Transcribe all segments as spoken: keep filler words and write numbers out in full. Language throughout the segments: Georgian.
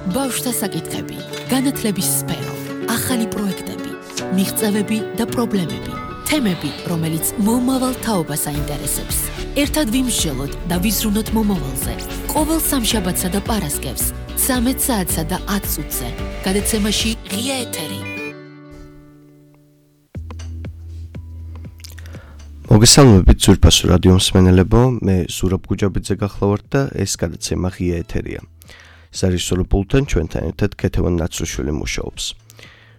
ბავშვთა საკითხები, განათლების სფერო, ახალი პროექტები, მიღწევები და პრობლემები, თემები, რომელიც მომავალ თაობას აინტერესებს. ერთად ვიმსჯელოთ და ვიზრუნოთ მომავალზე. ყოველ სამშაბათსა და პარასკევს, ცამეტ საათსა და ათ წუთზე. გადაცემაში ღია ეთერი. მოგესალმებით ძვირფასო რადიო მსმენელებო, მე ზურაბ გუჯაბიძე გახლავართ და ეს გადაცემა ღია ეთერია. სარისორო პულტთან ჩვენთან ერთად ქეთევან ნაცრუშვილი მუშაობს.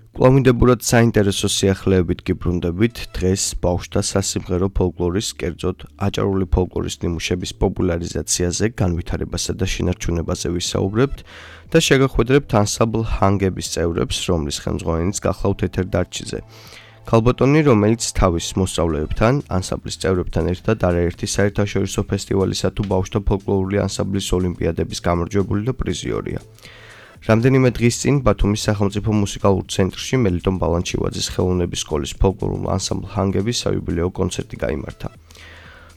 კვლავინდებურად საინტერესო სიახლეებით გიბრუნდებით დღეს ბავშვთა სასიმღერო ფოლკლორის, კერძოდ აჭარული ფოლკლორის ნიმუშების პოპულარიზაციაზე, განვითარებასა და შენარჩუნებაზე ვისაუბრებთ და შეგახვედრებთ ანსამბლ ჰანგების წევრებს, რომლის ხელმძღვანელიც გახლავთ ეთერ დარჩიზე. ქალბატონი, რომელიც თავის მოსწავლეებთან, ანსამბლის წევრებთან ერთად არაერთი საერთაშორისო ფესტივალისა თუ ბავშვთა ფოლკლორული ანსამბლის ოლიმპიადების გამარჯვებული და პრიზიორია. რამდენიმე დღის წინ ბათუმის სახელმწიფო მუსიკალურ ცენტრში მელიტონ ბალანჩივაძის ხელოვნების სკოლის ფოლკლორულ ანსამბლ ჰანგების საიუბილეო კონცერტი გაიმართა.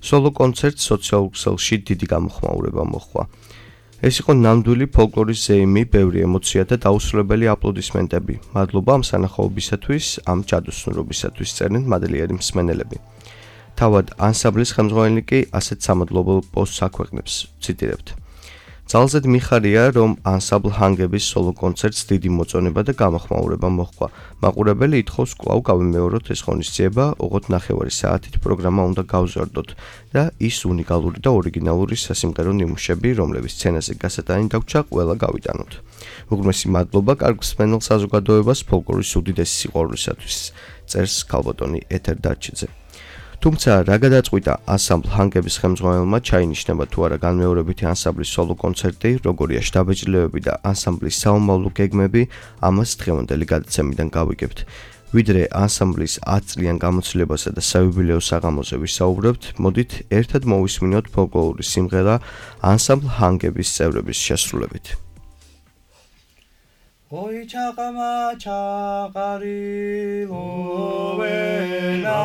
სოლო კონცერტს სოციალურ ქსელში დიდი გამოხმაურება მოჰყვა. ეს იყო ნამდვილი ფოლკლორის ზეიმი, ბევრი ემოცია და დაუსრულებელი აპლოდისმენტები. მადლობა ამ სანახაობისათვის, ამ ჯადოსნურობისათვის წერენ მადლიერი მსმენელები. თავად ანსამბლის ხელმძღვანელი კი ასეთ სამადლობო პოსტს აქვეყნებს, ციტირებთ. ძალზედ მიხარია, რომ ანსამბლ ჰანგების სოლო კონცერტს დიდი მოწონება და გამოხმაურება მოჰყვა. მაყურებელი ითხოვს კვლავ გავიმეოროთ ეს ღონისძიება, ოღონდ ნახევარი საათით პროგრამა უნდა გავზარდოთ და ის უნიკალური და ორიგინალური სასიმღერო ნიმუშები, რომლების სცენაზე გასატანი დაგვრჩა, ყველა გავიტანოთ. უღრმესი მადლობა კარგ მსმენელ საზოგადოებას ფოლკლორის უდიდესი სიყვარულისათვის, წერს ქალბატონი ეთერ დარჩიძე. თუმცა რა გადაწყვიტა ანსამბლ ჰანგების ხელმძღვანელმა, ჩაინიშნება თუ არა განმეორებითი ანსამბლის სოლო კონცერტი, როგორია შთაბეჭდილებები და ანსამბლის საომავლო გეგმები, ამას დღევანდელი გადაცემიდან გავიგებთ. ვიდრე ანსამბლის ათ წლიან გამოცდილებასა და საიუბილეო საღამოზე ვისაუბრებთ, მოდით ერთად მოვისმინოთ ფოლკლორული სიმღერა ანსამბლ ჰანგების წევრების შესრულებით. Oi chaqama chaqarilo vena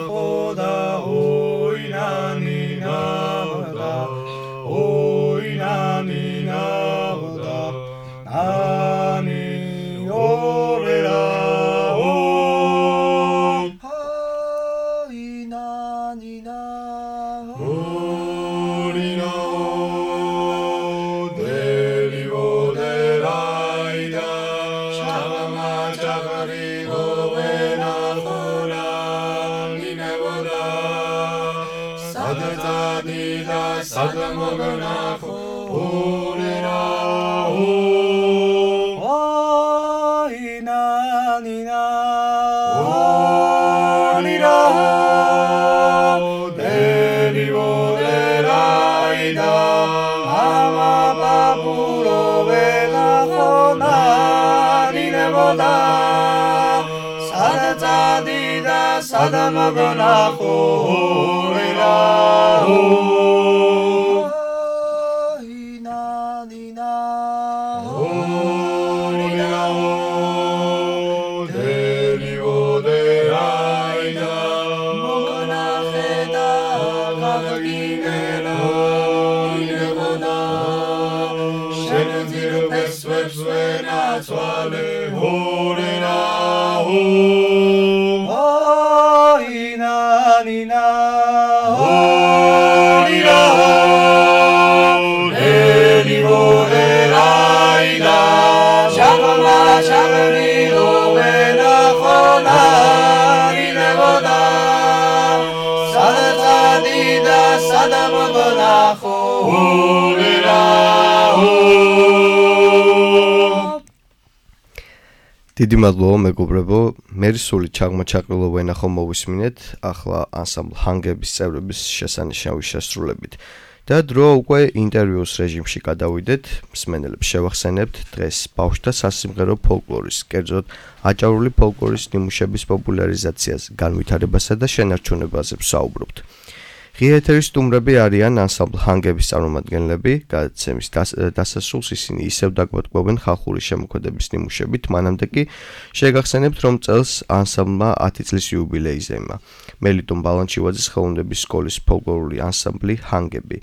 khoda oi nani nada oi nani nada nani orera oi nani nada oi Sadamogana orera o ina nina orira deli orera ida ama baburo vela khona nine boda sadadida sadamogana orera o დიდი მადლობა მეგობრებო, მე სული ჩაღმაჩაყრილო ვენახო მოვისმინეთ, ახლა ანსამბლ ჰანგების წევრების შესანიშნავი შესრულებით. და დრო უკვე ინტერვიუს რეჟიმში გადავიდეთ, მსმენელებს შევახსენებთ დღეს ბავშვთა სასიმღერო ფოლკლორის, კერძოდ აჭარული ფოლკლორის ნიმუშების პოპულარიზაციაზე, განვითარებასა და შენარჩუნებაზე ვსაუბრობთ. ღია ეთერის სტუმრები არიან ანსამბლ ჰანგების წარმომადგენლები, გადაცემის დასასრულს ისინი ისევ დაგვატყობენ ხალხური შემოქმედების ნიმუშებით, მანამდე კი შეგახსენებთ, რომ წელს ანსამბლმა ათი წლის იუბილეიზე ემა. მელიტონ ბალანჩივაძის ხელოვნების სკოლის ფოლკლორული ანსამბლი ჰანგები,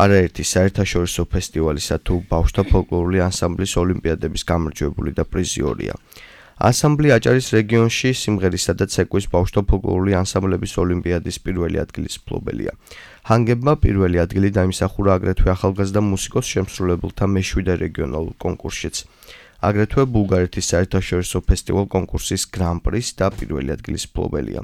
არაერთი საერთაშორისო ფესტივალისა თუ ბავშვთა ფოლკლორული ანსამბლის ოლიმპიადების გამარჯვებული და პრიზიორია. ანსამბლი აჭარის რეგიონში სიმღერისა და ცეკვის ბავშვთა ფოლკლორული ანსამბლების ოლიმპიადის პირველი ადგილის მფლობელია. ჰანგებმა პირველი ადგილი დაიმსახურა აგრეთვე ახალგაზრდა მუსიკოს შემსრულებელთა მეშვიდე რეგიონალურ კონკურსშიც. აგრეთვე ბულგარეთის საერთაშორისო ფესტივალ კონკურსის გრან-პრის და პირველი ადგილის მფლობელია.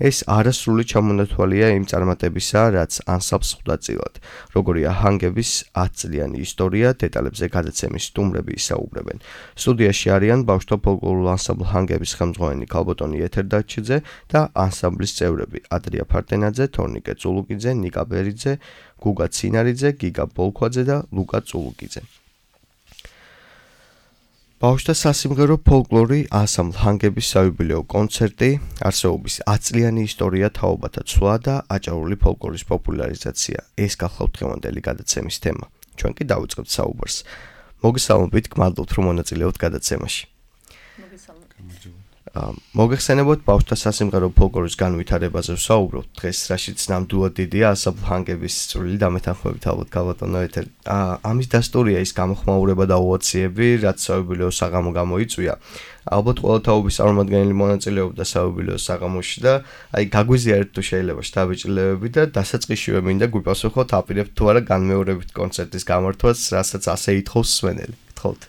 ეს არასრული ჩამონათვალია იმ წარმატებისა, რაც ანსამბლს ხვდა წილად. როგორია ჰანგების ათწლიანი ისტორია, დეტალებზე გადაცემის სტუმრები ისაუბრებენ. სტუდიაში არიან ბავშვთა ფოლკლორულ ანსამბლ ჰანგების ხელმძღვანელი ქალბატონი ეთერ დაჩიძე და ანსამბლის წევრები ადრია ფარტენაძე, თორნიკე წულუკიძე, ნიკა ბერიძე, გუგა ცინარიძე, გიგა ბოლქვაძე და ლუკა წულუკიძე. ბავშვთა სასიმღერო ფოლკლორი ანსამბლ ჰანგების საიუბილეო კონცერტი, არსებობის ათწლიანი ისტორია, თაობათა ცვლა და აჭარული ფოლკლორის პოპულარიზაცია. ეს გახლავთ დღევანდელი გადაცემის თემა. ჩვენ კი დავიწყებთ საუბარს. მოგესალმებით, გმადლობთ, რომ მონაწილეობთ გადაცემაში. მოგეხსენებოთ ბავშვთა სასიმღერო ფოლკლორის განვითარებაზე ვსაუბრობთ. დღეს რაშიც ნამდვილად დიდია ანსამბლ ჰანგების წვლილი და მეთანხმებით ალბათ ქალბატონო ეთერ. ამის დასტურია ის გამოხმაურება და ოვაციები, რაც საიუბილეო საღამო გამოიწვია. ალბათ ყველა თაობის წარმომადგენელი მონაწილეობდა საიუბილეო საღამოში და აი გაგვიზიარეთ თუ შეიძლება შთაბეჭდილებები და დასაწყისშივე მინდა გვიპასუხოთ, აპირებთ თუ არა განმეორებით კონცერტის გამართვას, რასაც ასე ითხოვს მსმენელი. გთხოვთ.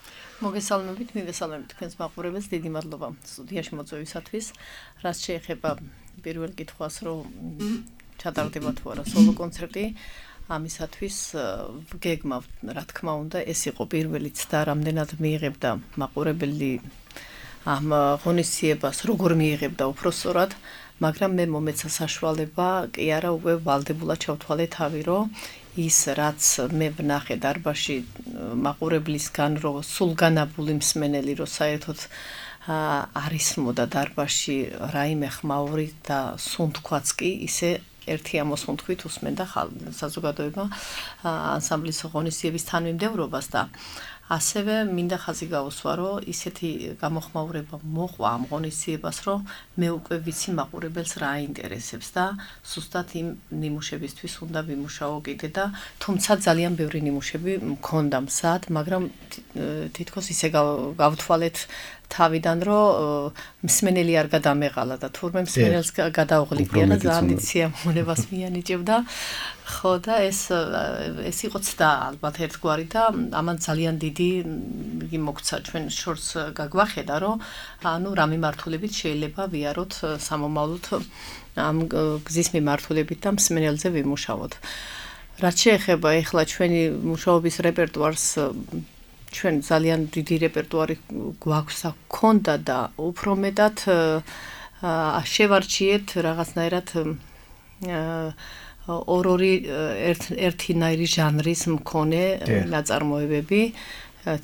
მოგესალმებით, მივესალმებით თქვენს მაყურებელს, დიდი მადლობა სტუდიაში მოწვევისათვის. რაც შეეხება პირველ კითხვას, რომ ჩატარდება თუ არა სოლო კონცერტი, ამისათვის გეგმავთ, რა თქმა უნდა, ეს იყო პირველიც და რამდენად მიიღებდა მაყურებელი ამ ღონისძიებას, როგორ მიიღებდა უпроსწორად, მაგრამ მე მომეცა საშუალება, კი არა უკვე ვალდებულად ჩავთვალე თავი, რომ ის რაც მე ვნახე დარბაზში მაყურებლისგან, რომ სულგანაბული მსმენელი, რომ საერთოდ არისმოდა დარბაზში რაიმე ხმაური და სუნთქვაც კი ისე ერთი ამოსუნთქვით უსმენდა საზოგადოება ანსამბლის ღონისძიების თანმიმდევრობას და ასევე მინდა ხაზი გავუსვა, რომ ისეთი გამოხმაურება მოყვა ამ ღონისძიებას, რომ მე უკვე ვიცი მაყურებელს რა აინტერესებს და სუსტად იმ ნიმუშებისთვის უნდა ვიმუშაო კიდე და თუმცა ძალიან ბევრი ნიმუშები მქონდა მზად, მაგრამ თითქოს ისე გავთვალეთ თავიდან, რომ მსმენელი არ გადამეყალა და თურმე მსმენელს გადაუღლիկია და ძალიან დიდ სიამოვნებას მიანიჭებდა. ხო და ეს ეს იყო ცდა ალბათ ერთგვარი და ამან ძალიან დიდი იგი მოგცა ჩვენ შორს გაგვახედა, რომ ანუ რა მიმართულებით შეიძლება ვიაროთ სამომავლოდ ამ გზის მიმართულებით და მსმენელზე ვიმუშაოთ. რაც შეეხება ახლა ჩვენი მუშაობის რეპერტუარს, ჩვენ ძალიან დიდი რეპერტუარი გვაქვს და გქონდა და უფრო მეტად შევარჩიეთ რაღაცნაირად ორ-ორი ერთნაირი ჟანრის მქონე ნაწარმოებები,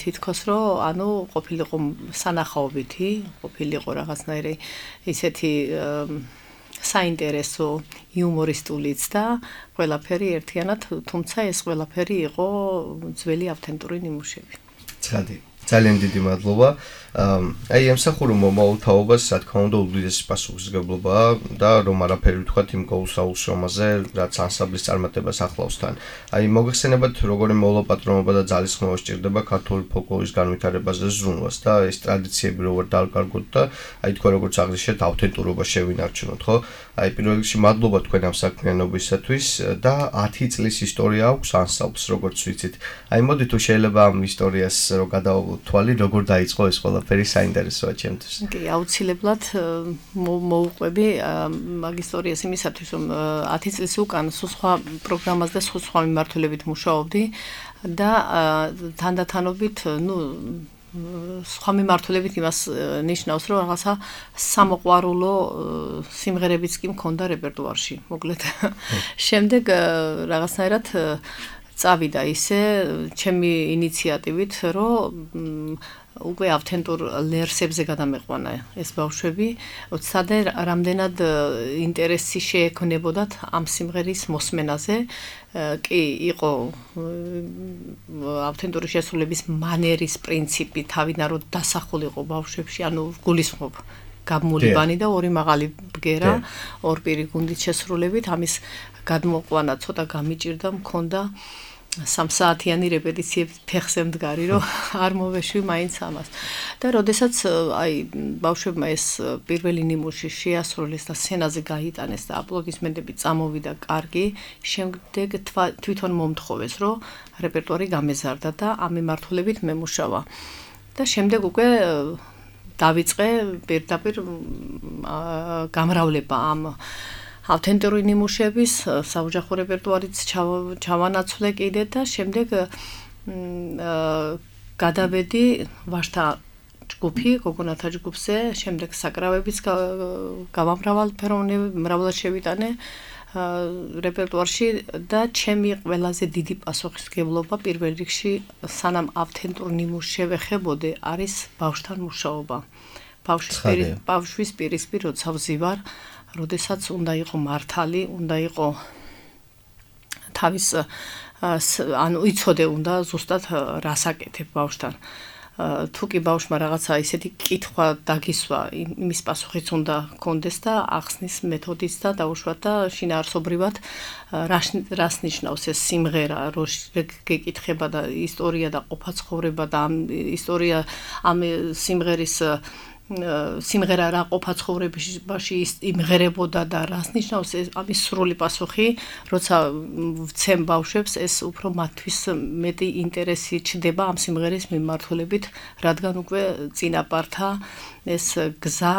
თითქოს რომ ანუ ყოფილიყო სანახაობითი, ყოფილიყო რაღაცნაირი ისეთი საინტერესო იუმორისტულიც და ყველაფერი ერთიანად, თუმცა ეს ყველაფერი იყო ძველი ავთენტური ნიმუშები. ცხადი. ძალიან დიდი მადლობა. აი ემსახურა მომავალ თაობას, რა თქმა უნდა, უდიდესი პასუხისმგებლობაა და რომ არაფერი ვთქვათ იმ გულსაუშრომაზე, რაც ანსამბლის წარმატებას ახლავს თან. აი მოგეხსენებათ, როგორი მოლაპატრონობა და ძალისხმევა სჭირდება ქართული ფოლკლორის განვითარებაზე ზრუნვას და ეს ტრადიციები როგორ დავკარგოთ და აი თქვენ როგორც აღნიშნეთ, ავთენტურობა შევინარჩუნოთ, ხო? აი პირველ რიგში მადლობა თქვენ ამ საქმიანობისათვის და ათი წლის ისტორია აქვს ანსამბლს, როგორც ვიცით. აი მოდი თუ შეიძლება ამ ისტორიას რო გადავთვალი, როგორ დაიწყო ეს ყველაფერი საინტერესოა ჩემთვის. კი, აუცილებლად მოუყვები მაგ ისტორიას იმისათვის, რომ ათი წლის უკან სხვა პროგრამას და სხვა მიმართულებით მუშაობდი და თანდათანობით, ნუ სხვა მიმართულებით იმას ნიშნავს, რომ რაღაცა სამოყვარულო სიმღერებიც კი მქონდა რეპერტუარში, მოკლედ. შემდეგ რაღაცნაირად წავიდა ისე ჩემი ინიციატივით, რომ უკვე ავთენტურ ლერსებზე გადამეყვანა ეს ბავშვები, ოცდე რამდენად ინტერესი შეექმნებოდათ ამ სიმღერის მოსმენაზე, კი იყო ავთენტური შესრულების მანერის პრინციპი თავიდან რომ დასახულიყო ბავშვებში, ანუ გულისხმობ გამულიბანი და ორი მაღალი ბგერა, ორ პირი გუნდით შესრულებით, ამის გადმოყვანა ცოტა გამიჭირდა, მქონდა სამსაათიანი რეპეტიციები ფეხზე მდგარი, რომ არ მოვეშვი მაინც ამას. და როდესაც აი ბავშვებმა ეს პირველი ნიმუში შეასრულეს და სცენაზე გაიტანეს და აპლოდისმენტები წამოვიდა კარგი, შემდეგ თვითონ მომთხოვეს, რომ რეპერტუარი გამეზარდა და ამ მიმართულებით მემუშავა. და შემდეგ უკვე დავიწყე პირდაპირ გამრავლება ამ ავთენტური ნიმუშების საოჯახო რეპერტუარიც ჩავანაცვლე კიდე და შემდეგ გადავედი ვაჟთა ჯგუფი, გოგონათა ჯგუფზე, შემდეგ საკრავებიც გავამრავალფეროვნებად შევიტანე რეპერტუარში და ჩემი ყველაზე დიდი პასუხისმგებლობა პირველ რიგში სანამ ავთენტურ ნიმუშს შევეხებოდე არის ბავშვთან მუშაობა. ბავშვის პირისპირ როცა ვზივარ, როდესაც უნდა იყო მართალი, უნდა იყო თავის ანუ იცოდე უნდა ზუსტად რას აკეთებ ბავშვთან. თუ კი ბავშვმა რაღაცა ისეთი კითხვა დაგისვა, იმის პასუხიც უნდა კონდეს და ახსნის მეთოდიც და დაუშვათ და შინაარსობრივად რას ნიშნავს ეს სიმღერა, რო გეკითხება და ისტორია და ყოფაცხოვრება და ამ ისტორია ამ სიმღერის სიმღერა რა ყოფა ცხოვრებაში იმღერებოდა და რას ნიშნავს ეს ამის სრული პასუხი, როცა ვცემ ბავშვებს ეს უფრო მათთვის მეტი ინტერესი ჩდება ამ სიმღერის მიმართულებით, რადგან უკვე წინაპართა ეს გზა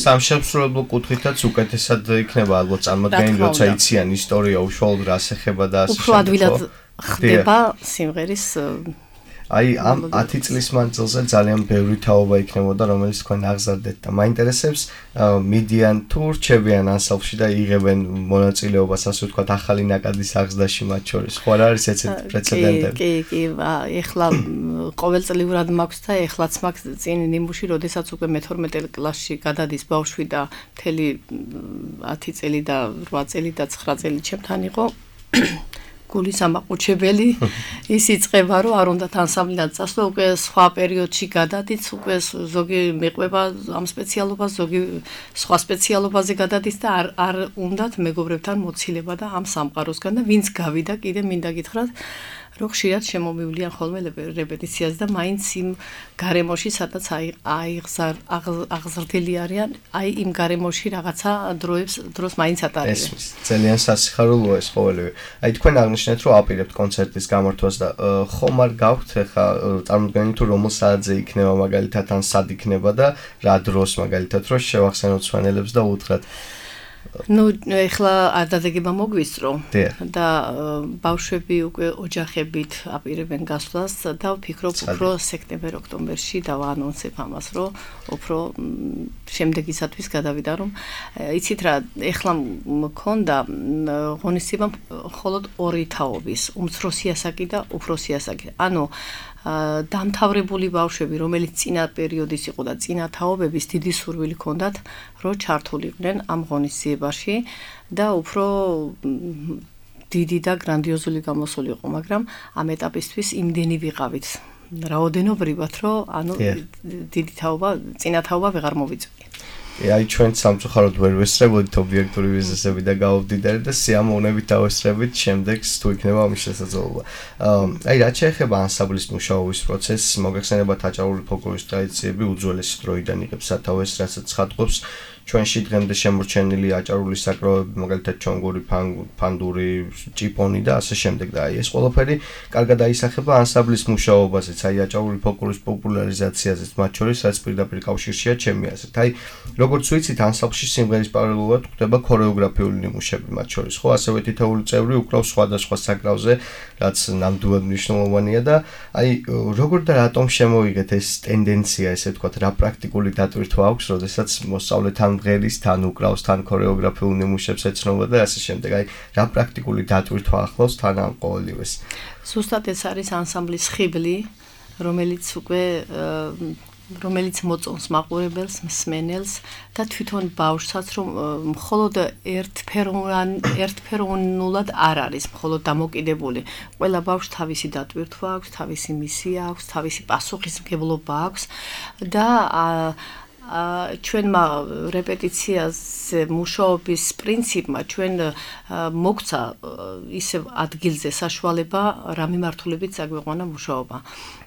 სამშემსრულებლო კუთხითაც უკეთესად იქნება ალბათ წარმოდგენილი, როცა იციან ისტორია უშუალოდ რას ეხება და ასე შემდეგ. უფრო ადვილად ხდება სიმღერის აი ამ ათი წლის მანძილზე ძალიან ბევრი თაობა იქნებოდა, რომელიც თქვენ აღზარდეთ და მაინტერესებს მიდიან თუ რჩებიან ანსამბლში და იღებენ მონაწილეობას, ასე ვთქვათ, ახალი ნაკადის აღზრდაში მათ შორის. ხო არ არის ესეთი პრეცედენტები? კი, კი, ეხლა ყოველწლიურად მაქვს და ეხლაც მაქვს წინ ნიმუში, როდესაც უკვე მეთორმეტე კლასში გადადის ბავშვი და მთელი ათი წელი და რვა წელი და ცხრა წელი ჩემთან იყო. გულის ამაყუჩებელი ის იწყება რომ არ უნდა ანსამბლიდან წასვლა უკვე სხვა პერიოდში გადადიც უკვე ზოგი მეყვება ამ სპეციალობას ზოგი სხვა სპეციალობაზე გადადის და არ არ უნდათ მეგობრებთან მოცილება და ამ სამყაროსგან და ვინც გავიდა კიდე მინდა გითხრათ რომ ხშირად შემომივლიან ხოლმე რეპეტიციაზე და მაინც იმ გარემოში სადაც აიღზარ აღზრდილი არიან აი იმ გარემოში რაღაცა დროებს დროს მაინც ატარებენ ეს ძალიან სასიხარულოა ეს ყოველივე აი თქვენ აღნიშნეთ რომ აპირებთ კონცერტის გამართვას და ხომ არ გაქვთ ხა წარმოდგენილი თუ რომელ საათზე იქნება მაგალითად ან სად იქნება და რა დროს მაგალითად რომ შევახსენოთ სვანელებს და უთხრათ ну ეხლა არ დადეგება მოგვისწრო და ბავშვები უკვე ოჯახებით აპირებენ გასვლას და ვფიქრობ უფრო სექტემბერ-ოქტომბერში დავაანონსებ ამას რომ უფრო შემდეგისათვის გადავიდა რომ იცით რა ეხლა მქონდა ღონისძიება მხოლოდ ორი თაობის უმცროსი ასაკი და უფროსი ასაკი ანუ დამთავრებული ბავშვები, რომელიც წინა პერიოდის იყო და წინა თაობების დიდი სურვილი ჰქონდათ, რომ ჩართულიყვნენ ამ ღონისძიებაში და უფრო დიდი და გრანდიოზული გამოსული იყო, მაგრამ ამ ეტაპისთვის იმდენი ვიყავით, რაოდენობრივად, რომ ანუ დიდი თაობა, წინა თაობა ვეღარ მოვიწვია. აი ჩვენ სამწუხაროდ ვერ ვესწრებოდით ობიექტური ბიზნესები და გავვდიდარით და სიამოვნებით დავესწრებით შემდეგს თუ იქნება ამის შესაძლებლობა. აი რაც შეეხება ანსამბლის მუშაობის პროცესს, მოგეხსენებათ აჭარული ფოლკლორის ტრადიციები უძველესი დროიდან იღებს სათავეს, რასაც ხატყობს ჩვენში დღემდე შემორჩენილი აჭარული საკრავები, მაგალითად ჩონგური, ფანდური, ჭიპონი და ასე შემდეგ და აი ეს ყველაფერი კარგად აისახება ანსამბლის მუშაობაზეც, აი აჭარული ფოლკლორის პოპულარიზაციაზეც, მათ შორის რაც პირდაპირ კავშირშია ჩემი აზრით. აი როგორც ვიცით, ანსამბლში სიმღერის პარალელურად ხდება ქორეოგრაფიული ნიმუშები მათ შორის, ხო, ასევე თითოეული წევრი უკრავს სხვადასხვა საკრავზე, რაც ნამდვილად მნიშვნელოვანია და აი როგორ და რატომ შემოიღეთ ეს ტენდენცია, ესე ვთქვათ, რა პრაქტიკული დატვირთვა აქვს, როდესაც მოსწავლეთან მღერის, თან უკრავს, თან ქორეოგრაფიულ ნიმუშებს ეცნობა და ასე შემდეგ. აი, რა პრაქტიკული დატვირთვა ახლავს თან ამ ყოველივეს. ზუსტად ეს არის ანსამბლის ხიბლი, რომელიც უკვე რომელიც მოწონს მაყურებელს, მსმენელს და თვითონ ბავშვსაც რომ მხოლოდ ერთფეროვან ერთფეროვნულად არ არის, მხოლოდ დამოკიდებული. ყველა ბავშვს თავისი დატვირთვა აქვს, თავისი მისია აქვს, თავისი პასუხისმგებლობა აქვს და ჩვენმა რეპეტიციაზე მუშაობის პრინციპმა ჩვენ მოგცა ისევ ადგილზე საშუალება რა მიმართულებით წაგვიყვანა მუშაობა.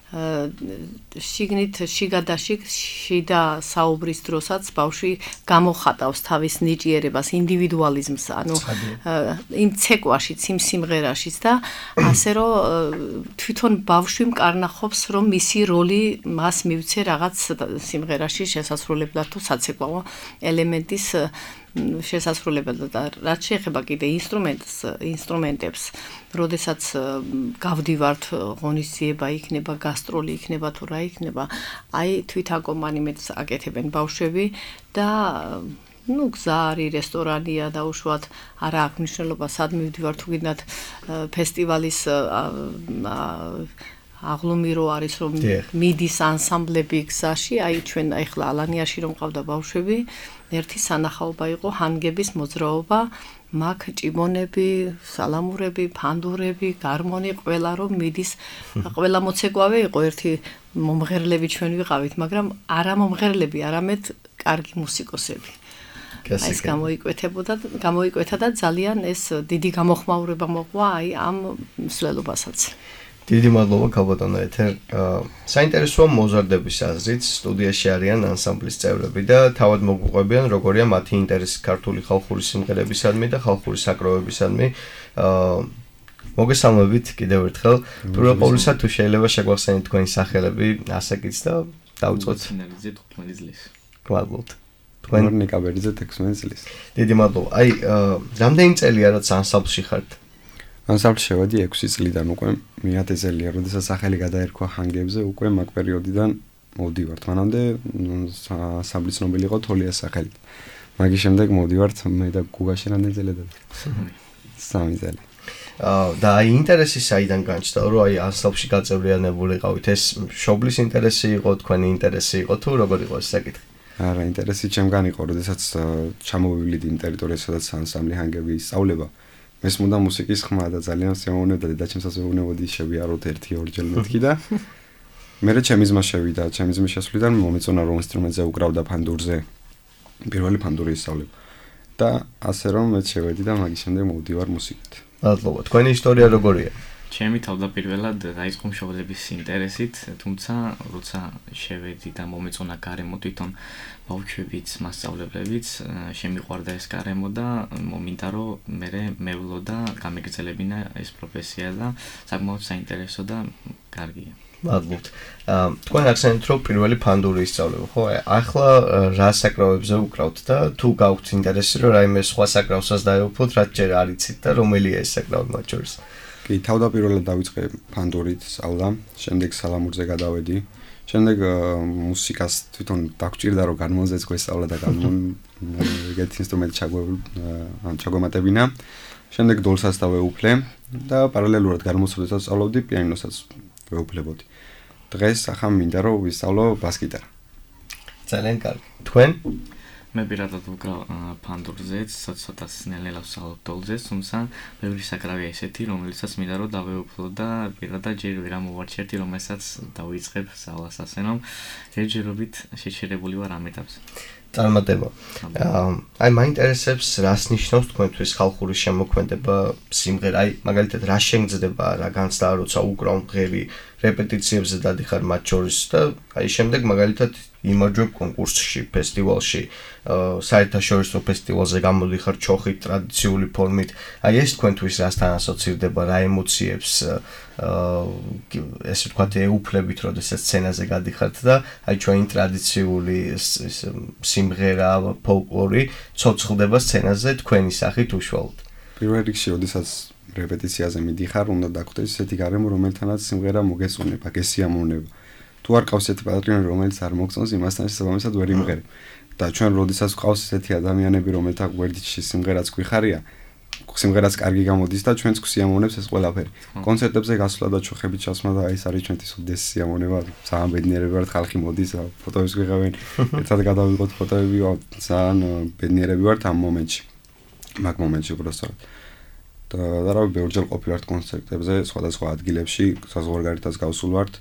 შიგნით შიგადაში შიდა საუბრის დროსაც ბავშვი გამოხატავს თავის ნიჭიერებას, ინდივიდუალიზმს, ანუ იმ ცეკვაშიც, იმ სიმღერაშიც და ასე რომ თვითონ ბავშვი მკარნახობს, რომ მისი როლი მას მივცე რაღაც სიმღერაში შესასრულებლად თუ საცეკვაო ელემენტის შესასრულებლად და რაც შეეხება კიდე ინსტრუმენტს, ინსტრუმენტებს, როდესაც გავდივართ ღონისძიება იქნება, გასტროლი იქნება თუ რა იქნება, აი თვით აკომპანიმენტს აკეთებენ ბავშვები და ну გზა არის, რესტორანია და უშუალოდ არა აქვს მნიშვნელობა სად მივდივარ თუ გინდათ ფესტივალის აღლუმირო არის რომ მიდის ანსამბლები გზაში, აი ჩვენ ახლა ალანიაში რომ ყავდა ბავშვები, ერთი სანახაობა იყო ჰანგების მოძრაობა, მაგ ჭიმონები, სალამურები, ფანდურები, გარმონი, ყველა რომ მიდის, ყველა მოცეკვავე იყო, ერთი მომღერლები ჩვენ ვიყავით, მაგრამ არა მომღერლები, არამედ კარგი მუსიკოსები. ეს გამოიკვეთებოდა, გამოიკვეთა და ძალიან ეს დიდი გამოხმაურება მოყვა აი ამ მსვლელობასაც. დიდი მადლობა ქალბატონო ეთერ. საინტერესოა მოზარდების აზრით, სტუდიაში არიან ანსამბლის წევრები და თავად მოგვიყვებიან როგორია მათი ინტერესი ქართული ხალხური სიმღერებისადმი და ხალხური საკრავებისადმი. მოგესალმებით კიდევ ერთხელ. პირველ ყოვლისა თუ შეიძლება შეგვახსენოთ თქვენი სახელები, ასაკიც და დავიწყოთ. ნინალიძე თხუთმეტი წლის. გვალბობთ. თქვენ ნიკაბერიძე ექვსმეტი წლის. დიდი მადლობა. აი, რამდენი წელია რაც ანსამბლში ხართ? ანსამბლში შევედი ექვსი წლიდან უკვე, მეათე წელია, როდესაც სახელი გადაერქვა ჰანგებზე, უკვე მაგ პერიოდიდან მოვდივართ. მანამდე ანსამბლის ცნობილი იყო თოლიას სახელით. მაგის შემდეგ მოვდივართ მე და გუგაში რამდენი წელი და სამი წელი. და აი ინტერესი საიდან განჩნდა, რომ აი ანსამბლში გაწევრიანებულიყავით, ეს მშობლის ინტერესი იყო, თქვენი ინტერესი იყო თუ როგორ იყო ეს საკითხი? არა, ინტერესი ჩემგან იყო, როდესაც ჩამოვივლით იმ ტერიტორიაზე, სადაც ანსამბლი ჰანგები ისწავლება. მე სმოდა მუსიკის ხმა და ძალიან შემოვნებდა და ჩემსაც მეუბნებოდი შევიაროთ ერთი ორჯერ მეთქი და მე ჩემი ძმა შევიდა, ჩემი ძმის შესვლიდან მომეწონა რომ ინსტრუმენტზე უკრავდა ფანდურზე. პირველი ფანდური ისწავლება. და ასე რომ მე შევედი და მაგის შემდეგ მოვდივარ მუსიკით. მადლობა. თქვენი ისტორია როგორია? ჩემი თავდაპირველად დაიწყო მშობლების ინტერესით, თუმცა როცა შევედი და მომეწონა გარემო თვითონ ბავშვებიც, მასწავლებლებიც, შემიყვარდა ეს გარემო და მომინდა რომ მე მევლო და გამეგრძელებინა ეს პროფესია და საკმაოდ საინტერესო და კარგია. მადლობთ. თქვენ ახსენეთ რომ პირველი ფანდური ისწავლება, ხო? ახლა რა საკრავებზე უკრავთ და თუ გაქვთ ინტერესი რომ რაიმე სხვა საკრავსაც დაეუფლოთ, რაც ჯერ არ იცით და რომელია ეს საკრავი მათ შორის? კი, თავდაპირველად დავიწყე ფანდურით სწავლა, შემდეგ სალამურზე გადავედი. შემდეგ მუსიკას თვითონ დაგჭირდა რომ განმონზეც გვესწავლა და განმონ ეგეთ ინსტრუმენტი ჩაგვემატებინა. შემდეგ დოლსაც დავეუფლე და პარალელურად განმოსვლასაც სწავლობდი, პიანინოსაც ვეუფლებოდი. დღეს ახლა მინდა რომ ვისწავლო ბას-გიტარა. ძალიან კარგი. თქვენ? მე პირადად ვუკრავ ფანდურზეც, ცოტა ნელ-ნელა ვსწავლობ დოლზეც, თუმცა ბევრი საკრავია ესეთი, რომელიცაც მინდა რომ დავეუფლო და პირადად ჯერ ვერ ამოვარჩიერთი, რომელსაც დავიწყებ სწავლას ასე რომ ჯერჯერობით შეჩერებული ვარ ამ ეტაპზე. წარმატება. აი მაინტერესებს რას ნიშნავს თქვენთვის ხალხური შემოქმედება, სიმღერა, აი მაგალითად რა შეგძდება, რა განცდა როცა უკრავ მღერი, რეპეტიციებზე დადიხარ მათ შორის და აი შემდეგ მაგალითად იმარჯვებ კონკურსში, ფესტივალში, საერთაშორისო ფესტივალზე გამოდიხარ ჩოხით, ტრადიციული ფორმით. აი ეს თქვენთვის რასთან ასოცირდება, რა ემოციებს ესე ვთქვათ ეუფლებით, როდესაც სცენაზე გადიხართ და აი ჩვენი ტრადიციული სიმღერა, ფოლკლორი ცოცხლდება სცენაზე თქვენი სახით უშუალოდ. პირველ რიგში, როდესაც რეპეტიციაზე მიდიხარ, უნდა დაგხვდეს ესეთი გარემო, რომელთანაც სიმღერა მოგესწონება, გესიამოვნება. თუ არ ყავს ესეთი პატრიონი, რომელიც არ მოგწონს, იმასთან შესაბამისად ვერ იმღერებ. და ჩვენ როდესაც გვყავს ესეთი ადამიანები, რომელთა გვერდში სიმღერაც გვიხარია, სიმღერაც კარგი გამოდის და ჩვენც გვსიამოვნებს ეს ყველაფერი. კონცერტებზე გასვლა და ჩუხებით ჩასვლა და ეს არის ჩვენთვის უდიდესი სიამოვნება. ძალიან ბედნიერები ვართ, ხალხი მოდის, ფოტოებს ვიღებენ, ერთად გადავიღოთ ფოტოები, ძალიან ბედნიერები ვართ ამ მომენტში. მაგ მომენტში უბრალოდ. და და რა ვიცი, ორჯერ ყოფილვართ კონცერტებზე, სხვადასხვა ადგილებში, საზღვარგარეთაც გავსულ ვართ.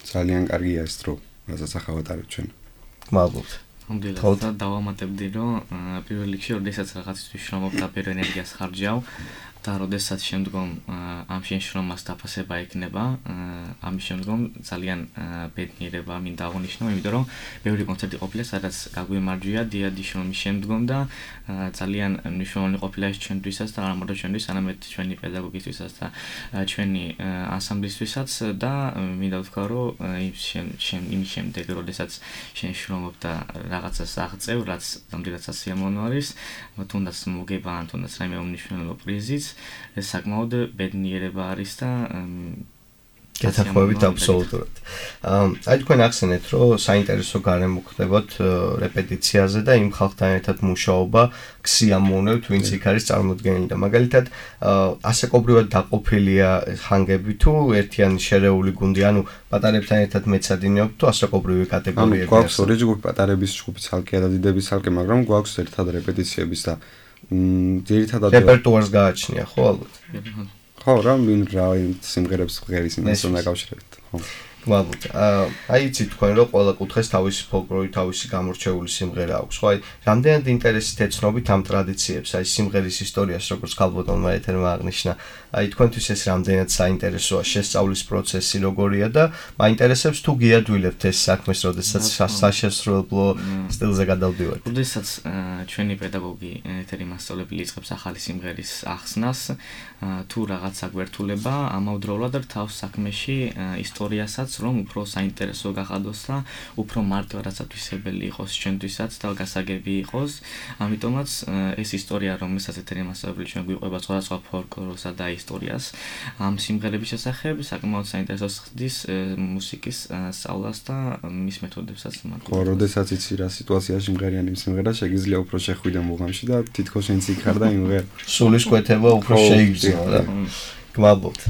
ძალიან კარგია ეს დრო, რასაც ახავატარებ ჩვენ. მადლობთ. ამდილა დავამატებდი, რომ პირველ რიგში, როდესაც რაღაცისთვის შრომობ და ბევრ ენერგიას ხარჯავ და როდესაც შემდგომ ამ შენშრომას დაფასება ექნება, ამის შემდგომ ძალიან ბედნიერება მინდა აღნიშნო, იმიტომ რომ ბევრი კონცერტი ყოფილა, სადაც გაგვიმარჯვია დიადი შრომის შემდგომ და ძალიან მნიშვნელოვანი ყოფილა ეს ჩვენთვისაც და არა μόνο ჩვენთვის, არამედ ჩვენი პედაგოგისთვისაც და ჩვენი ანსამბლისთვისაც და მინდა ვთქვა, რომ იმის შემდეგ, როდესაც შენშრომობ და რაღაცას აღწევ, რაც ნამდვილად სასიამოვნო არის, თუნდაც მოგება ან თუნდაც რაიმე უმნიშვნელო პრიზიც, ეს საკმაოდ ბედნიერება არის და გეთანხმებით აბსოლუტურად. აი თქვენ ახსენეთ, რომ საინტერესო გარემო ხდებათ რეპეტიციაზე და იმ ხალხთან ერთად მუშაობა გსიამოვნებთ, ვინც იქ არის წარმოდგენილი და მაგალითად ასაკობრივად დაყოფილია ხანგები თუ ერთიანი შერეული გუნდი, ანუ პატარებთან ერთად მეცადინეობთ თუ ასაკობრივი კატეგორიები აქვს? გვაქვს ორი ჯგუფი, პატარების ჯგუფი ცალკე და დიდების ცალკე, მაგრამ გვაქვს ერთად რეპეტიციების და ძირითადად რეპერტუარს გააჩნია, ხო ალბათ? ხო, რა ვინ რა სიმღერებს ღერის იმასთან დაკავშირებით, ხო. მადლობთ. აი იცი თქვენ რომ ყველა კუთხეს თავისი ფოლკლორი, თავისი გამორჩეული სიმღერა აქვს, ხო? აი რამდენად ინტერესით ეცნობით ამ ტრადიციებს, აი სიმღერის ისტორიას, როგორც ქალბატონმა ეთერმა აღნიშნა. აი თქვენთვის ეს რამდენად საინტერესოა, შესწავლის პროცესი როგორია და მაინტერესებს თუ გიადვილებთ ეს საქმეს, როდესაც საშესრულებლო სტილზე გადავდივართ. როდესაც ჩვენი პედაგოგი ეთერი მასწავლებელი იწყებს ახალი სიმღერის ახსნას, თუ რაღაცა გვერთულება, ამავდროულად თავს საქმეში ისტორიასაც რომ უფრო საინტერესო გახადოს და უფრო მარტივადასათვისებელი იყოს ჩვენთვისაც და გასაგები იყოს. ამიტომაც ეს ისტორია, რომელსაც ეთერი მასწავლებელი ჩვენ გვიყვება სხვადასხვა ფოლკლორსა და ისტორიას, ამ სიმღერების შესახებ საკმაოდ საინტერესოს ხდის მუსიკის სწავლას და მის მეთოდებსაც. ხო, როდესაც იცი რა სიტუაციაში მღერიანი სიმღერა, შეგიძლია უფრო შეხვიდე მუღამში და თითქოს შენც იქ ხარ და იმღერ. სულის კვეთება უფრო შეიგრძნო რა. გმადლობთ.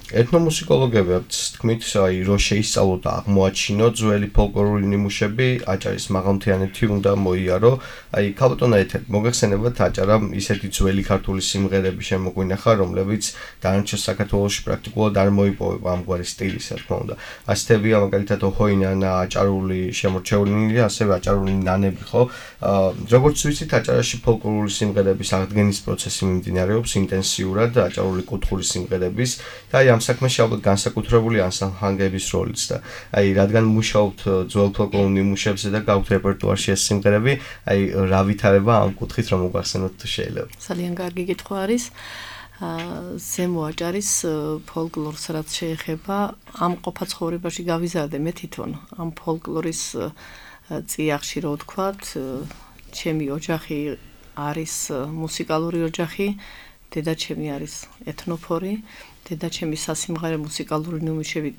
ეთნომუსიკოლოგები თქმით, აი რომ შეისწავლოთ და აღმოაჩინოთ ძველი ფოლკლორული ნიმუშები, აჭარის მაღალმთიანეთი უნდა მოიარო. აი ქალბატონო ეთერ, მოგეხსენებათ აჭარამ ისეთი ძველი ქართული სიმღერები შემოგვინახა, რომლებიც დანარჩენ საქართველოში პრაქტიკულად არ მოიპოვება ამგვარი სტილის, რა თქმა უნდა. ასეთებია მაგალითად ოჰოინანა, აჭარული შემორჩეულნი, ასევე აჭარული ნანები, ხო? როგორც ვიცით, აჭარაში ფოლკლორული სიმღერების აღდგენის პროცესი მიმდინარეობს ინტენსიურად, აჭარული კუთხური სიმღერების და აი ამ საქმეში ალბათ განსაკუთრებული ანსამბლების როლიც და აი რადგან მუშაობთ ძველ ფოლკლორულ ნიმუშებზე და გაქვთ რეპერტუარში ეს სიმღერები, აი რა ვითარება ამ კუთხით რომ მოგახსენოთ თუ შეიძლება. ძალიან კარგი კითხვა არის. ზემო აჭარის ფოლკლორს რაც შეეხება, ამ ყოფა ცხოვრებაში გავიზარდე მე თვითონ ამ ფოლკლორის წიაღში რო ვთქვათ, ჩემი ოჯახი არის მუსიკალური ოჯახი, დედაჩემი არის ეთნოფორი. დედაჩემი სასიმღერე მუსიკალური ნიმუშები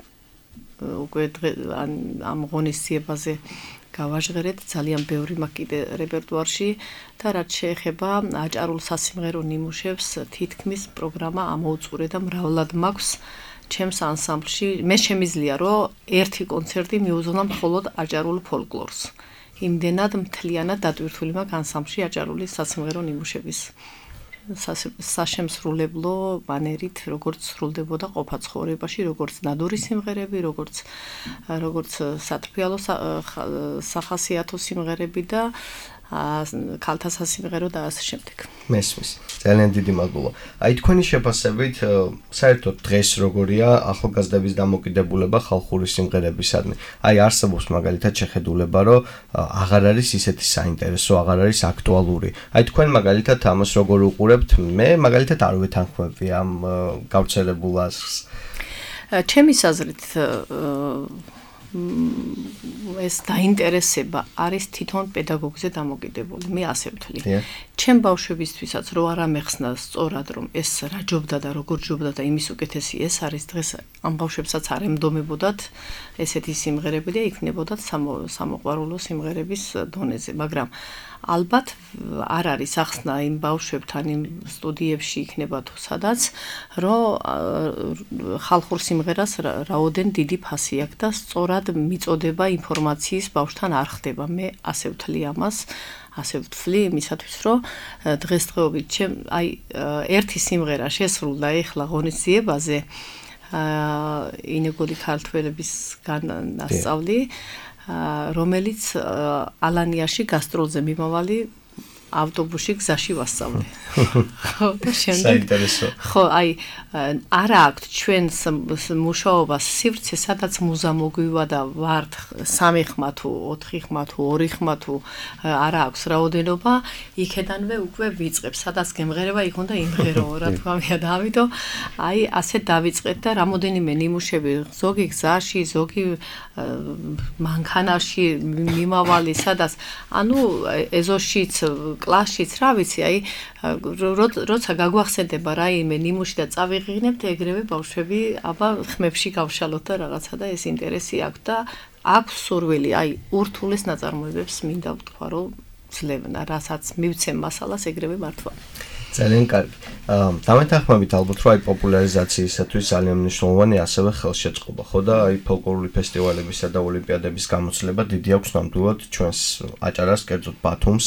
უკვე ამ ღონისძიებაზე გავაჟღერეთ, ძალიან ბევრი მაქვს კიდე რეპერტუარში და რაც შეეხება აჭარულ სასიმღერო ნიმუშებს, თითქმის პროგრამა ამოუწურე და მრავლად მაქვს ჩემს ანსამბლში. მე შემიძლია რომ ერთი კონცერტი მიუძღვნა მხოლოდ აჭარულ ფოლკლორს. იმდენად მთლიანად დატვირთული მაქვს ანსამბლში აჭარული სასიმღერო ნიმუშების საშემსრულებლო მანერით, როგორც სრულდებოდა ყოფა ცხოვრებაში, როგორც ნადური სიმღერები, როგორც როგორც სათბიალო სახასიათო სიმღერები და ქალთა სასიმღერო და ასე შემდეგ. მესმის. ძალიან დიდი მადლობა. აი თქვენი შეფასებით, საერთოდ დღეს როგორია ახალგაზრდების დამოკიდებულება ხალხური სიმღერებისადმი? აი არსებობს მაგალითად შეხედულება, რომ აღარ არის ისეთი საინტერესო, აღარ არის აქტუალური. აი თქვენ მაგალითად ამას როგორ უყურებთ? მე მაგალითად არ ვეთანხმები ამ გავრცელებულ ასხს. ჩემი აზრით ეს დაინტერესება არის თვითონ პედაგოგზე დამოკიდებული. მე ასე ვთვლი. ჩემ ბავშვებისთვისაც რო არ ამეხსნა სწორად რომ ეს რა ჯობდა და როგორ ჯობდა და იმის უკეთესი ეს არის დღეს ამ ბავშვებსაც არ ემდომებოდათ ესეთი სიმღერები და იქნებოდათ სამოყვარულო სიმღერების დონეზე, მაგრამ ალბათ არ არის ახსნა იმ ბავშვებთან იმ სტუდიებში იქნება თუ სადაც რომ ხალხურ სიმღერას რაოდენ დიდი ფასი აქვს და სწორად მიწოდება ინფორმაციის ბავშვთან არ ხდება. მე ასე ვთვლი ამას, ასე ვთვლი იმისათვის რომ დღესდღეობით ჩემ აი ერთი სიმღერა შესრულდა ეხლა ღონისძიებაზე ინეგოლი ქართველების განასწავლი რომელიც ალანიაში გასტროლზე მიმავალი ავტობუსში გზაში ვასწავლე. ხო, და შემდეგ ხო, აი არა აქვთ ჩვენს მუშაობას სივრცე, სადაც მუზა მოგვივა და ვართ სამი ხმა თუ ოთხი ხმა თუ ორი ხმა თუ არა აქვს რაოდენობა, იქედანვე უკვე ვიწყებ, სადაც გემღერება იქ უნდა იმღერო, რა თქმა უნდა, და ამიტომ აი ასე დავიწყეთ და რამოდენიმე ნიმუშები, ზოგი გზაში, ზოგი მანქანაში მიმავალი, სადაც ანუ ეზოშიც კლასშიც რა ვიცი, აი როცა გაგვახსენდება რაიმე ნიმუში და წავიღინებთ, ეგრევე ბავშვები აბა ხმებში გავშალოთ და რაღაცა და ეს ინტერესი აქვს და აქვს სურვილი, აი ურთულეს ნაწარმოებებს მინდა ვთქვა, რომ ძლევნა, რასაც მივცემ მასალას ეგრევე მართვა. ძალიან კარგი. დამეთანხმებით ალბათ რომ აი პოპულარიზაციისათვის ძალიან მნიშვნელოვანი ასევე ხელშეწყობა, ხო და აი ფოლკლორული ფესტივალებისა და ოლიმპიადების გამოცდილება დიდი აქვს ნამდვილად ჩვენს აჭარას, კერძოდ ბათუმს,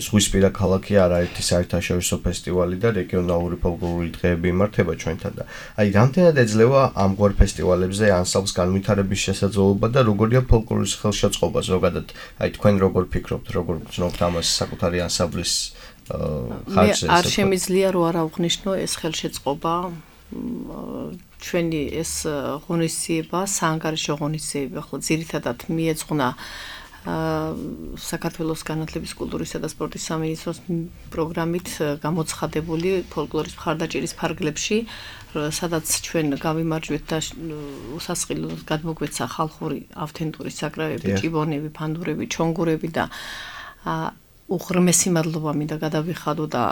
ზღვისპირა ქალაქი არაერთი საერთაშორისო ფესტივალი და რეგიონალური ფოლკლორული დღეები იმართება ჩვენთან და აი რამდენად ეძლევა ამგვარ ფესტივალებზე ანსამბლს განვითარების შესაძლებლობა და როგორია ფოლკლორის ხელშეწყობა ზოგადად, აი თქვენ როგორ ფიქრობთ, როგორ გრძნობთ ამას საკუთარი ანსამბლის ხარჯზე? არ შემიძლია რომ არ აღვნიშნო ეს ხელშეწყობა ჩვენი ეს ღონისძიება, საანგარიშო ღონისძიება, ხო ძირითადად მიეძღვნა საქართველოს განათლების, კულტურისა და სპორტის სამინისტროს პროგრამით გამოცხადებული ფოლკლორის მხარდაჭერის ფარგლებში, სადაც ჩვენ გავიმარჯვეთ და უსასყიდლოდ გადმოგვეცა ხალხური ავთენტური საკრავები, ჭიბონები, ფანდურები, ჩონგურები და უღრმესი მადლობა მინდა გადავიხადო და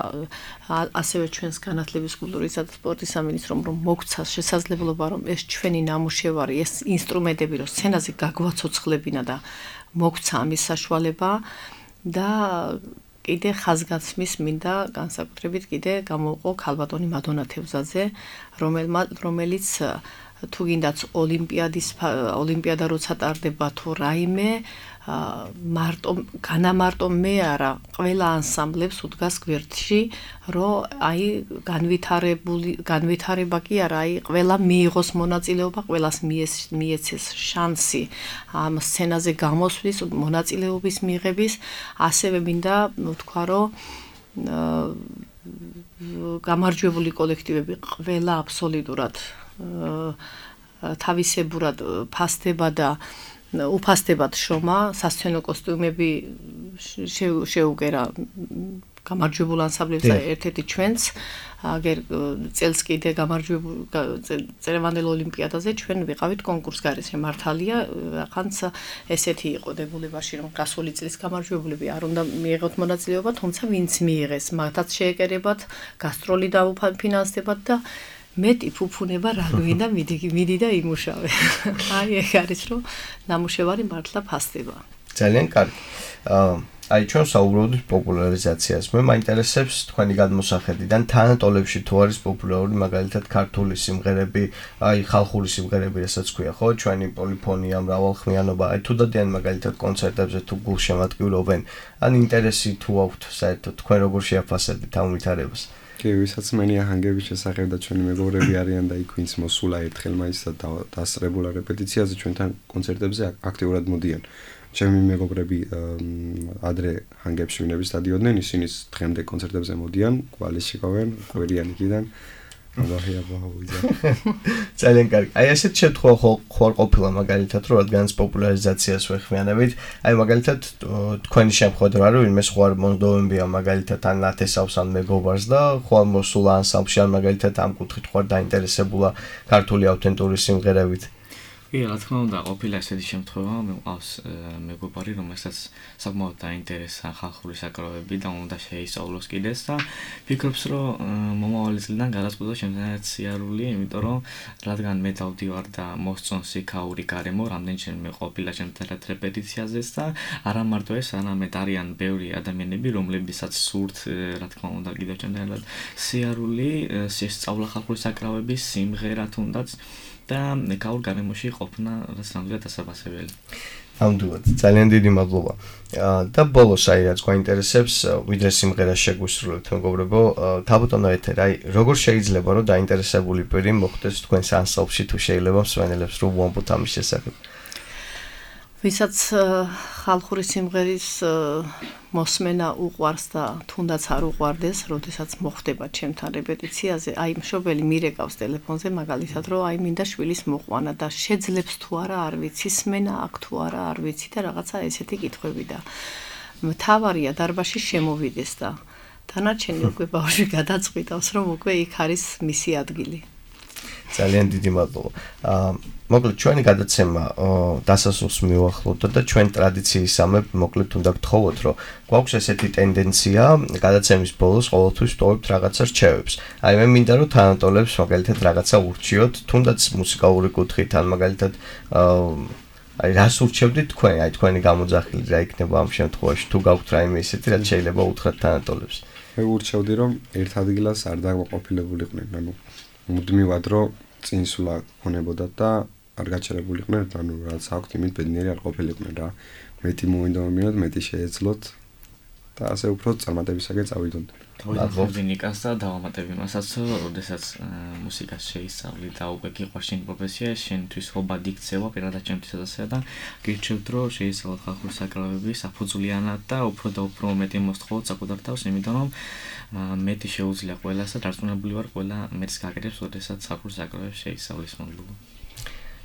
ასევე ჩვენს განათლების, კულტურისა და სპორტის სამინისტრომ რომ მოგცა შესაძლებლობა რომ ეს ჩვენი ნამუშევარი, ეს ინსტრუმენტები რომ სცენაზე გაგვაცოცხლებინა და მოგცა ამის საშუალება და კიდე ხაზგასმის მინდა განსაკუთრებით კიდე გამოვყო ქალბატონი მადონა თევზაძე, რომელიც თუ გინდაც ოლიმპიადის ოლიმპიადა როცა ტარდება თუ რაიმე მარტო განამარტო მე არა ყველა ანსამბლებს უდგას გვერდში რომ აი განვითარებული განვითარება კი არა აი ყველა მიიღოს მონაწილეობა ყველას მიეცეს შანსი ამ სცენაზე გამოსვლის მონაწილეობის მიღების ასევე მინდა ვთქვა რომ გამარჯვებული კოლექტივები ყველა აბსოლუტურად თავისებურად ფასდება და უფასდებად შრომა, სასცენო კოსტიუმები შეუგერა გამარჯვებულ ანსამბლებს და ერთ-ერთი ჩვენც აგერ წელს კიდე გამარჯვებულ წელევანდელ ოლიმპიადაზე ჩვენ ვიყავით კონკურსგარეშე მართალია, ახანც ესეთი იყო დებულებაში რომ გასული წლის გამარჯვებულები არ უნდა მიიღოთ მონაწილეობა, თუმცა ვინც მიიღეს, მათაც შეეკერებათ, გასტროლი დაუფინანსდებათ და მეტი ფუფუნება რა გვინდა მიდი და იმუშავე. აი ეგ არის რომ ნამუშევარი მართლა ფასდება. ძალიან კარგი. აი ჩვენ საუბრობთ პოპულარიზაციას. მე მაინტერესებს თქვენი გადმოსახედიდან თანატოლებში თუ არის პოპულარული მაგალითად ქართული სიმღერები, აი ხალხური სიმღერები, რასაც ქვია, ხო? ჩვენი პოლიფონია, მრავალხმიანობა, აი თუ დადიან მაგალითად კონცერტებზე თუ გულშემატკივრობენ, ან ინტერესი თუ აქვთ საერთოდ თქვენ როგორ შეაფასებთ ამ ვითარებას? კი, ვისაც მენია ჰანგების შესახებ და ჩვენი მეგობრები არიან და იქ ვინც მოსულა ერთხელ მაინც და დასწრებულა რეპეტიციაზე ჩვენთან კონცერტებზე აქტიურად მოდიან. ჩემი მეგობრები ადრე ჰანგებში ვინები სტადიონდნენ, ისინი დღემდე კონცერტებზე მოდიან, კვალის შეკავენ, კვირიანიკიდან. აღია ბაუზა. ძალიან კარგი. აი ასეთ შემთხვევა ხوار ყოფილა მაგალითად, რომ რადგანაც პოპულარიზაციას ვეხმიანებით, აი მაგალითად თქვენი შემთხვევით რა რომ იმეს ხوار მონდოვებია მაგალითად ან ნათესავს ან მეგობარს და ხوار მოსულა ანსამბლში ან მაგალითად ამ კუთხით ხوار დაინტერესებულა ქართული ავთენტური სიმღერებით. კი, რა თქმა უნდა, ყოფილა ესეთი შემთხვევა, მე მყავს მეგობარი, რომელსაც საკმაოდ დაინტერესა ხალხური საკრავები და უნდა შეისწავლოს კიდეც და ფიქრობს, რომ მომავალი წლიდან გადაწყვიტა შემდგომად სიარული, იმიტომ რომ რადგან მე დავდივარ და მოსწონს იქაური გარემო, რამდენჯერმე ყოფილა შემთხვევით რეპეტიციაზეც და არა მარტო ეს, არამედ არიან ბევრი ადამიანები, რომლებსაც სურთ, რა თქმა უნდა, კიდევ შემდგომად სიარული, შესწავლა ხალხური საკრავების სიმღერა თუნდაც და ეკაურ გარემოში ყოფნა რაც ნამდვილად დასაბასებელი. ნამდვილად, ძალიან დიდი მადლობა. და ბოლოს აი რაც გვაინტერესებს, ვიდრე სიმღერას შეგვისრულებთ, მეგობრებო, თავბატონო ეთერ, აი როგორ შეიძლება რომ დაინტერესებული პირი მოხვდეს თქვენს ანსამბლში თუ შეიძლება მსმენელებს რომ უამბოთ ამის შესახებ? ვისაც ხალხური სიმღერის მოსმენა უყვარს და თუნდაც არ უყვარდეს, როდესაც მოხდება ჩემთან რეპეტიციაზე, აი მშობელი მირეკავს ტელეფონზე მაგალითად, რომ აი მინდა შვილის მოყვანა და შეძლებს თუ არა არ ვიცი, სმენა აქ თუ არა არ ვიცი და რაღაცა ესეთი კითხვები და მთავარია დარბაზში შემოვიდეს და დანარჩენი უკვე ბავშვი გადაწყვიტავს, რომ უკვე იქ არის მისი ადგილი. ძალიან დიდი მადლობა. აა მოკლედ ჩვენი გადაცემა დასასრულს მივახლოვდა და ჩვენ ტრადიციისამებ მოკლედ უნდა გთხოვოთ, რომ გვაქვს ესეთი ტენდენცია გადაცემის ბოლოს ყოველთვის ვტოვებთ რაღაცა რჩევებს. აი მე მინდა რომ თანატოლებს მაგალითად რაღაცა ურჩიოთ, თუნდაც მუსიკალური კუთხით ან მაგალითად აი რას ურჩევდით თქვენ, აი თქვენი გამოძახილი რა იქნება ამ შემთხვევაში, თუ გაქვთ რაიმე ესეთი, რაც შეიძლება უთხრათ თანატოლებს. მე ურჩევდი რომ ერთ ადგილას არ დაყოფილებულიყვნენ, ანუ მუდმივად რომ წინსვლა ქონებოდათ და არ გაჩერებულიყვნენ, ანუ რაც აქვთ იმით ბედნიერი არ ყოფილიყვნენ რა. მეტი მოინდომებინოთ, მეტი შეეძლოთ და ასე უფრო წარმატებისაკენ წავიდონ. დავიწყებდი ნიკას და დავამატებ იმასაც, როდესაც მუსიკას შეისწავლი და უკვე გიყვარს შენი პროფესია, შენთვის ხობად იქცევა პირადად ჩემთვისაც ასე და გირჩევთ რომ შეისწავლოთ ხალხური საკრავები საფუძვლიანად და უფრო და უფრო მეტი მოსთხოვოთ საკუთარ თავს, იმიტომ რომ მეტი შეუძლია ყველას და დარწმუნებული ვარ ყველა მეტს გაკეთებს, როდესაც ხალხური საკრავებს შეისწავლის მადლობა.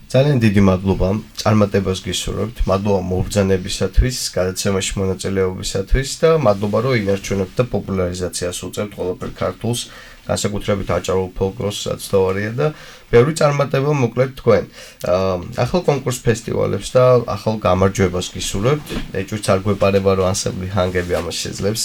ძალიან დიდი მადლობა წარმატებას გისურვებთ. მადლობა მობრძანებისათვის, გადაცემაში მონაწილეობისათვის და მადლობა რომ ინარჩუნებთ და პოპულარიზაციას უწევთ ყველაფერ ქართულს, განსაკუთრებით აჭარულ ფოლკლორს, რაც თავარია და ბევრი წარმატება მოკლედ თქვენ. ახალ კონკურს ფესტივალებს და ახალ გამარჯვებას გისურვებთ. ეჭვიც არ გვეპარება რომ ანსამბლი ჰანგები ამას შეძლებს.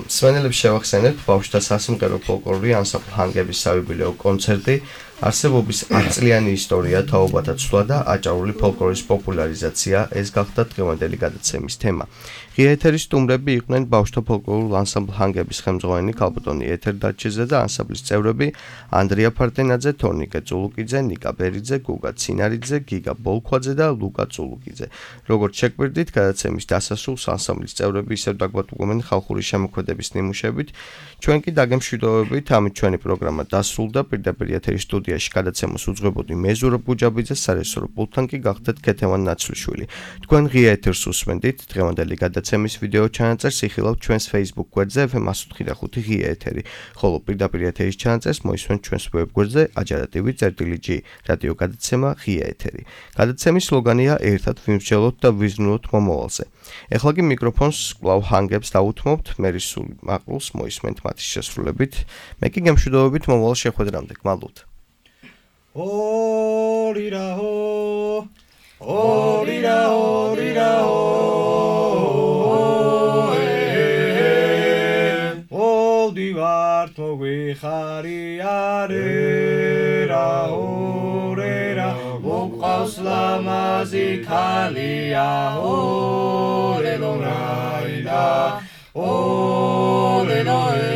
მსმენელებს შევახსენებთ ბავშვთა სასიმღერო ფოლკლორი ანსამბლ ჰანგების საიუბილეო კონცერტი. არსებობის ათწლიანი ისტორია, თაობათა ცვლა და აჭარული ფოლკლორის პოპულარიზაცია ეს გახდა დღევანდელი გადაცემის თემა. ღია ეთერის სტუმრები იყვნენ ბავშვთა ფოლკლორულ ანსამბლ ჰანგების ხელმძღვანელი ქალბატონი ეთერ დაჩიძე და ანსამბლის წევრები ანდრია ფარტენაძე, თორნიკე წულუკიძე, ნიკა ბერიძე, გუგა ცინარიძე, გიგა ბოლქვაძე და ლუკა წულუკიძე. როგორც შეგვირდით, გადაცემის დასასრულს ანსამბლის წევრები ისევ დაგვატყუნენ ხალხური შემოქმედების ნიმუშებით. ჩვენ კი დაგემშვიდობებით, ამით ჩვენი პროგრამა დასრულდა. პირდაპირ ეთერის სტუდიაში გადაცემას უძღვებოდი მე ზურაბ გუჯაბიძე, სარეჟისორო პულტთან კი გახდეთ ქეთევან ნაცვლიშვილი. თქვენ ღია ეთერს უსმენდით, დღევანდელი გადაცემის ვიდეო ჩანაწერს იხილავთ ჩვენს Facebook გვერდზე ეფ ემ ათი ოცდაოთხი ღია ეთერი, ხოლო პირდაპირ ეთერის ჩანაწერს მოისმენთ ჩვენს ვებ გვერდზე აჯარა.tv წერტილი ჯი რადიო გადაცემა ღია ეთერი. გადაცემის სლოგანია ერთად ვიმსჯელოთ და ვიზრუნოთ მომავალზე. ეხლა კი მიკროფონს კვლავ ჰანგებს დაუთმობთ, მერისულ მაყრულს მოისმენთ მათი შესრულებით. მე კი გემშვიდობებით მომავალ შეხვედრამდე. გმადლობთ. Orira ho, orira orira ho, ol divart mogui khari arera orera, uqas lamazi khalia orelorayda, orelorayda.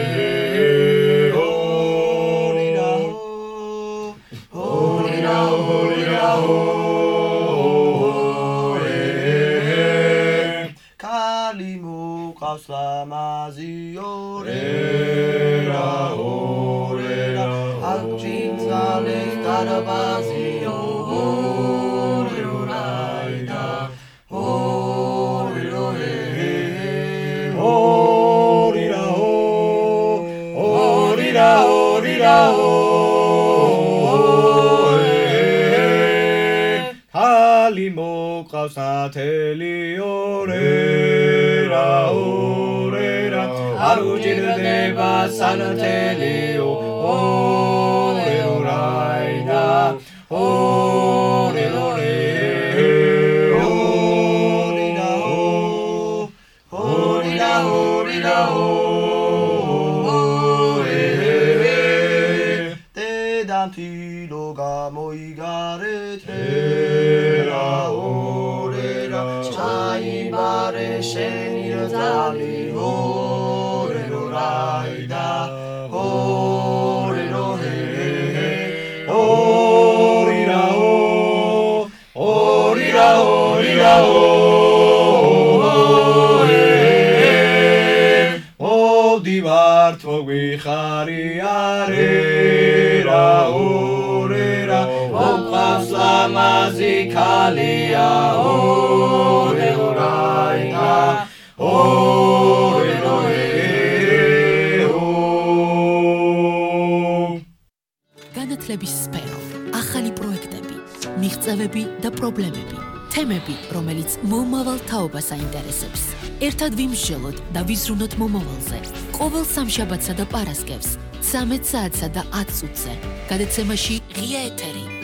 Orera, orera, alcinzales tarabazio, oreraida, orera, orera, orera, orera, halimo qavsateli orera, orera, arujirneba sanatelio, oreraida, orera. Tera orera Chaibare sheni rozali Orero raida Orero he Orira o Orira orira o Divart vogbixari arera orera Voqas lamazi kalia ore oraina ore roe განათლების სფერო, ახალი პროექტები, მიღწევები და პრობლემები, თემები, რომელიც მომავალ თაობას აინტერესებს. ერთად ვიმსჯელოთ და ვიზრუნოთ მომავალზე. ყოველ სამშაბათსა და პარასკევს, ცამეტ საათსა და ათ წუთზე. გადაცემაში ღია ეთერი.